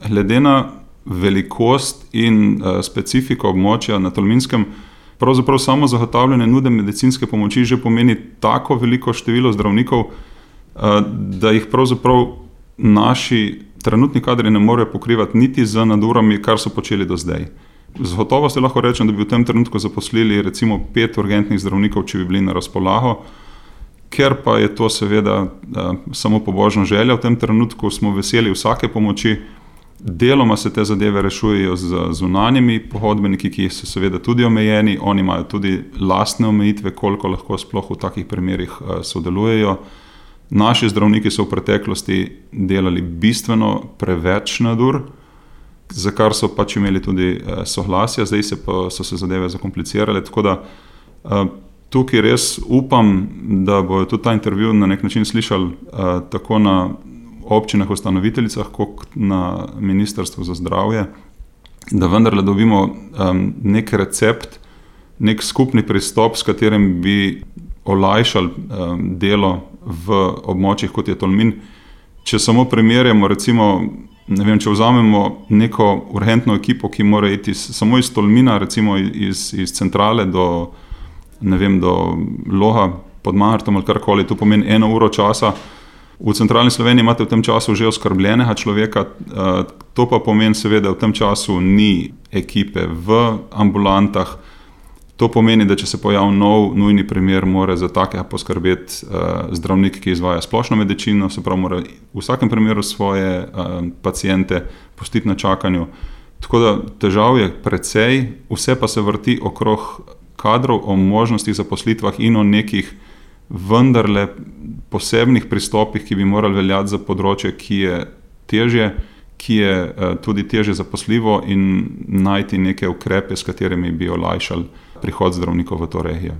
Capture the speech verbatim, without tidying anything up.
glede na velikost in uh, specifiko območja na Tolminskem, pravzaprav samo zagotavljanje nude medicinske pomoči že pomeni tako veliko število zdravnikov, uh, da jih pravzaprav naši trenutni kadri ne morejo pokrivati niti z nadurami, kar so počeli do zdaj. Z gotovostjo lahko rečem, da bi v tem trenutku zaposlili recimo pet urgentnih zdravnikov, če bi bili na razpolago, ker pa je to seveda uh, samo pobožna želja. V tem trenutku smo veseli vsake pomoči. Deloma se te zadeve rešujejo z zunanjimi pohodbeniki, ki so seveda tudi omejeni. Oni imajo tudi lastne omejitve, koliko lahko sploh v takih primerih uh, sodelujejo. Naši zdravniki so v preteklosti delali bistveno preveč nadur, za kar so pač imeli tudi uh, soglasja, zdaj se pa so se zadeve zakomplicirale, tako da uh, tukaj res upam, da bojo tudi ta intervju na nek način slišali uh, tako na občinah ustanoviteljicah, kot na Ministrstvu za zdravje, da vendarle dobimo um, nek recept, nek skupni pristop, s katerim bi olajšali um, delo v območjih, kot je Tolmin. Če samo primerjamo, recimo, ne vem, če vzamemo neko urgentno ekipo, ki mora iti samo iz Tolmina, recimo iz, iz centrale do, ne vem, do Loga pod Mangartom ali karkoli, to pomeni eno uro časa. V centralni Sloveniji imate v tem času že oskrbljenega človeka, to pa pomeni seveda, v tem času ni ekipe v ambulantah. To pomeni, da če se pojavi nov nujni primer, mora za takega poskrbeti zdravnik, ki izvaja splošno medicino, se pravi, mora v vsakem primeru svoje paciente pustiti na čakanju. Tako da težav je precej, vse pa se vrti okrog kadrov, o možnostih zaposlitvah in o nekih vendarle posebnih pristopih, ki bi morali veljati za področje, ki je težje, ki je tudi težje zaposljivo, in najti neke ukrepe, s katerimi bi olajšali prihod zdravnikov v to regijo.